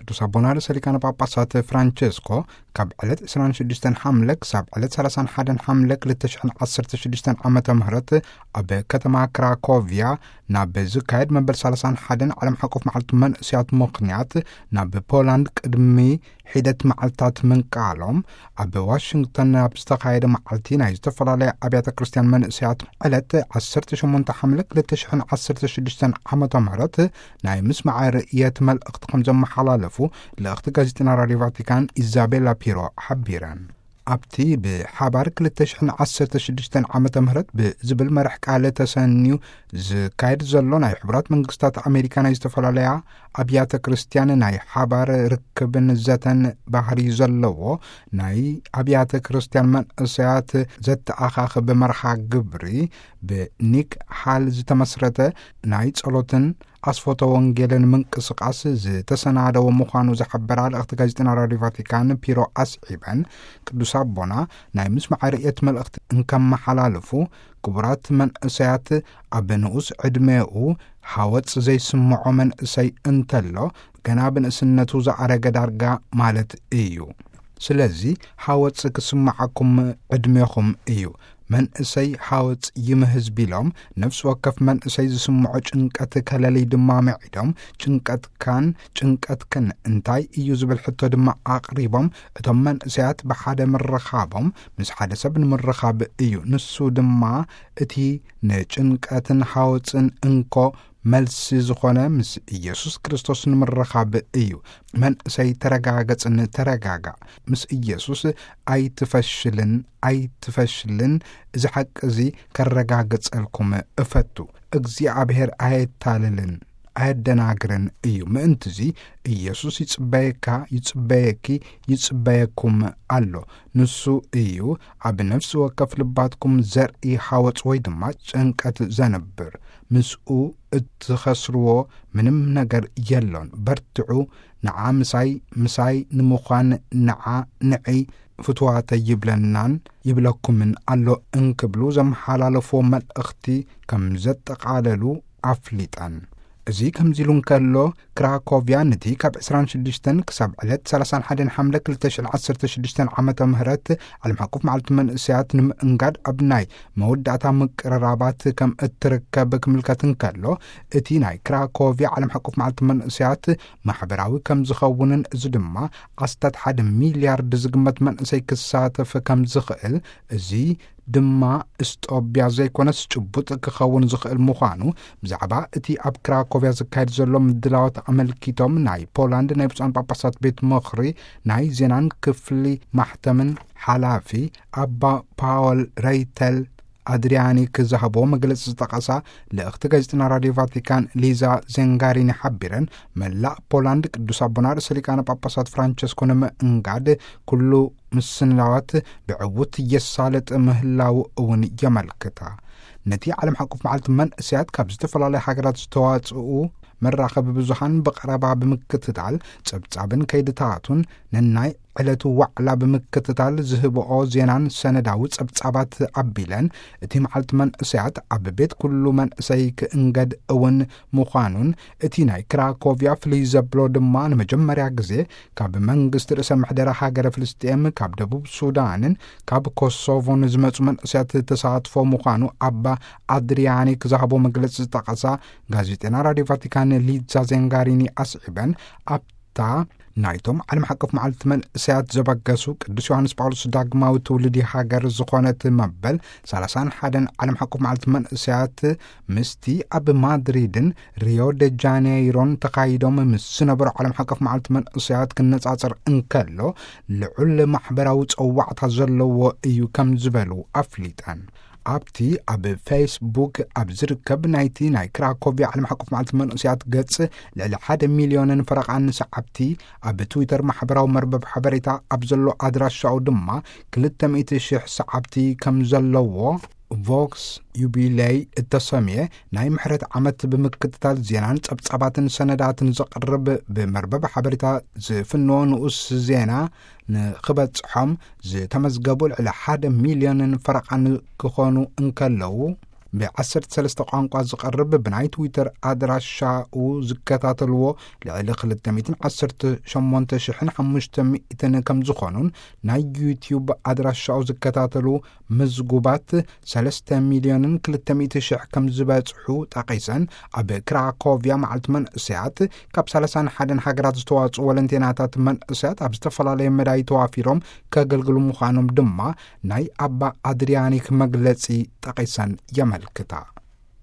ቅዱስ ኣቦና ርእሰ ሊቃነ ጳጳሳት ፍራንቸስኮ ካብ ዕለት ዕስራን ሽዱሽተን ሓምለ ክሳብ ዕለት ሰላሳን ሓደን ሓምለ ክልተ ሽሕን ዓሰርተ ሽዱሽተን ዓመተ ምህረት ኣብ ከተማ ክራኮቪያ ናብ ዝካየድ መበል ሰላሳን ሓደን ዓለም ሓቆፍ መዓልቲ መንእስያት ምኽንያት ናብ ፖላንድ ቅድሚ ሒደት መዓልታት ምንቃሎም፣ ኣብ ዋሽንግተን ኣብ ዝተኻየደ መዓልቲ ናይ ዝተፈላለያ ኣብያተ ክርስቲያን መንእስያት ዕለት ዓሰርተ ሸሞንተ ሓምለ ክልተ ሽሕን ዓሰርተ ሽዱሽተን ዓመተ ምህረት ናይ ምስማዕ ርእየት መልእኽቲ ከም ዘመሓላለፉ ልእኽቲ ጋዜጠና ራድዮ ቫቲካን ኢዛቤላ ፒሮ ሓቢረን። ኣብቲ ብሓባር ክልተ ሽሕን ዓሰርተ ሽዱሽተን ዓመተ ምህረት ብዝብል መራሕ ቃል ተሰንዩ ዝካየድ ዘሎ ናይ ሕቡራት መንግስታት ኣሜሪካ ናይ ዝተፈላለያ ኣብያተ ክርስቲያን ናይ ሓባር ርክብን ዘተን ባህሪ ዘለዎ ናይ ኣብያተ ክርስቲያን መንእሰያት ዘተኣኻኽብ መርሃ ግብሪ ብኒክ ሓል ዝተመስረተ ናይ ጸሎትን ኣስፎተ ወንጌልን ምንቅስቃስ ዝተሰናደወ ምዃኑ ዝሓበራ ልእኽቲ ጋዜጠና ራድዮ ቫቲካን ፒሮ ኣስዒበን፣ ቅዱስ ኣቦና ናይ ምስማዕ ርእየት መልእኽቲ እንከመሓላልፉ ክቡራት መንእሰያት ኣብ ንኡስ ዕድሜኡ ሓወጽ ዘይስምዖ መንእሰይ እንተሎ፣ ገና ብንእስነቱ ዝኣረገ ዳርጋ ማለት እዩ። ስለዚ ሓወጽ ክስምዓኩም ዕድሜኹም እዩ። መንእሰይ ሓወጽ ይምህዝ ቢሎም፣ ነፍሲ ወከፍ መንእሰይ ዝስምዖ ጭንቀት ከለሊ ድማ ምዒዶም፣ ጭንቀትካን ጭንቀትክን እንታይ እዩ ዝብል ሕቶ ድማ ኣቕሪቦም፣ እቶም መንእሰያት ብሓደ ምርኻቦም ምስ ሓደ ሰብ ንምርኻብ እዩ። ንሱ ድማ እቲ ንጭንቀትን ሓወጽን እንኮ መልሲ ዝኾነ ምስ ኢየሱስ ክርስቶስ ንምርኻብ እዩ። መንእሰይ ተረጋገጽን ተረጋጋዕ። ምስ ኢየሱስ ኣይትፈሽልን፣ ኣይትፈሽልን። እዚ ሓቂ እዚ ከረጋግጸልኩም እፈቱ። እግዚኣብሔር ኣየታልልን ኣየደናግርን እዩ። ምእንትዚ ኢየሱስ ይጽበየካ፣ ይጽበየኪ፣ ይጽበየኩም ኣሎ። ንሱ እዩ ኣብ ነፍሲ ወከፍ ልባትኩም ዘርኢ ሓወጽ ወይ ድማ ጭንቀት ዘንብር። ምስኡ እትኸስርዎ ምንም ነገር የሎን። በርትዑ፣ ንዓ ምሳይ፣ ምሳይ ንምዃን ንዓ፣ ንዒ ፍትዋተይ ይብለናን ይብለኩምን ኣሎ እንክብሉ ዘመሓላለፍዎ መልእኽቲ ከም ዘጠቓለሉ ኣፍሊጠን። እዚ ከምዚ ኢሉ እንከሎ፣ ክራኮቭያ ነቲ ካብ ዕስራን ሽዱሽተን ክሳብ ዕለት ሰላሳን ሓደን ሓምለ ክልተ ሽሕን ዓሰርተ ሽዱሽተን ዓመተ ምህረት ዓለም ሓቆፍ መዓልቲ መንእሰያት ንምእንጋድ ኣብ ናይ መወዳእታ ምቅርራባት ከም እትርከብ ክምልከት እንከሎ፣ እቲ ናይ ክራኮቭያ ዓለም ሓቆፍ መዓልቲ መንእሰያት ማሕበራዊ ከም ዝኸውንን፣ እዚ ድማ ኣስታት ሓደ ሚልያርድ ዝግመት መንእሰይ ክሳተፍ ከም ዝኽእል፣ እዚ ድማ እስጦብያ ዘይኮነስ ጭቡጥ ክኸውን ዝኽእል ምዃኑ ብዛዕባ እቲ ኣብ ክራኮቭያ ዝካየድ ዘሎ ምድላዋት ኣመልኪቶም ናይ ፖላንድ ናይ ብፁዓን ጳጳሳት ቤት ምኽሪ ናይ ዜናን ክፍሊ ማሕተምን ሓላፊ ኣባ ፓወል ረይተል ኣድሪያኒ ክዝሃቦ መግለጺ ዝጠቐሳ ልእኽቲ ጋዜጠና ራድዮ ቫቲካን ሊዛ ዜንጋሪኒ ሓቢረን፣ መላእ ፖላንድ ቅዱስ ኣቦና ርእሰ ሊቃነ ጳጳሳት ፍራንቸስኮ ንምእንጋድ ኩሉ ምስንላዋት ብዕውት የሳልጥ ምህላው እውን የመልክታ። ነቲ ዓለም ሓቆፍ መዓልቲ መንእሰያት ካብ ዝተፈላለዩ ሃገራት ዝተዋጽኡ መራኸቢ ብዙሃን ብቐረባ ብምክትታል፣ ጸብጻብን ከይድታቱን ነናይ ዕለቱ ዋዕላ ብምክትታል ዝህብኦ ዜናን ሰነዳዊ ጸብጻባት ኣቢለን፣ እቲ መዓልቲ መንእሰያት ኣብ ቤት ኩሉ መንእሰይ ክእንገድ እውን ምዃኑን፣ እቲ ናይ ክራኮቭያ ፍልይ ዘብሎ ድማ ንመጀመርያ ግዜ ካብ መንግስቲ ርእሰ ምሕደራ ሃገረ ፍልስጤም፣ ካብ ደቡብ ሱዳንን ካብ ኮሶቮን ዝመጹ መንእሰያት ተሳትፎ ምዃኑ ኣባ ኣድሪያኒ ክዝሃቦ መግለጺ ዝጠቐሳ ጋዜጠና ራድዮ ቫቲካን ሊዛ ዜንጋሪኒ ኣስዒበን፣ ኣብታ ናይቶም ዓለም ሓቆፍ መዓልቲ መንእሰያት ዘበገሱ ቅዱስ ዮሃንስ ጳውሎስ ዳግማዊ ትውልዲ ሃገር ዝኾነት መበል ሰላሳን ሓደን ዓለም ሓቆፍ መዓልቲ መንእሰያት ምስቲ ኣብ ማድሪድን ሪዮ ደ ጃኔይሮን ተኻይዶም ምስ ዝነበሩ ዓለም ሓቆፍ መዓልቲ መንእሰያት ክነጻጸር እንከሎ፣ ልዑል ማሕበራዊ ጸዋዕታ ዘለዎ እዩ ከም ዝበሉ ኣፍሊጠን። ኣብቲ ኣብ ፌስቡክ ኣብ ዝርከብ ናይቲ ናይ ክራኮቭያ ዓለም ሓቆፍ መዓልቲ መንእሰያት ገጽ፣ ልዕሊ ሓደ ሚልዮንን ፈረቓን ሰዓብቲ፣ ኣብ ትዊተር ማሕበራዊ መርበብ ሓበሬታ ኣብ ዘሎ ኣድራሻኡ ድማ ክልተ ሚእቲ ሽሕ ሰዓብቲ ከም ዘለዎ፣ ቮክስ ዩቢለይ እተሰምየ ናይ ምሕረት ዓመት ብምክትታል ዜናን ጸብጻባትን ሰነዳትን ዘቕርብ ብመርበብ ሓበሬታ ዝፍንዎ ንኡስ ዜና ንኽበጽሖም ዝተመዝገቡ ልዕሊ ሓደ ሚልዮንን ፈረቓን ክኾኑ እንከለዉ፣ ብ13 ቋንቋ ዝቐርብ ብናይ ትዊተር ኣድራሻኡ ዝከታተልዎ ልዕሊ ክልተ ሚእትን ዓሰርተ ሸሞንተ ሽሕን ሓሙሽተ ሚእትን ከም ዝኾኑን፣ ናይ ዩቲዩብ ኣድራሻኡ ዝከታተሉ ምዝጉባት ሰለስተ ሚልዮንን ክልተ ሚእቲ ሽሕ ከም ዝበጽሑ ጠቒሰን፣ ኣብ ክራኮቪያ መዓልቲ መንእሰያት ካብ ሰላሳን ሓደን ሃገራት ዝተዋጽኡ ወለንቴናታት መንእሰያት ኣብ ዝተፈላለየ መዳይ ተዋፊሮም ከገልግሉ ምዃኖም ድማ ናይ ኣባ ኣድሪያኒክ መግለጺ ጠቒሰን የመልክታ።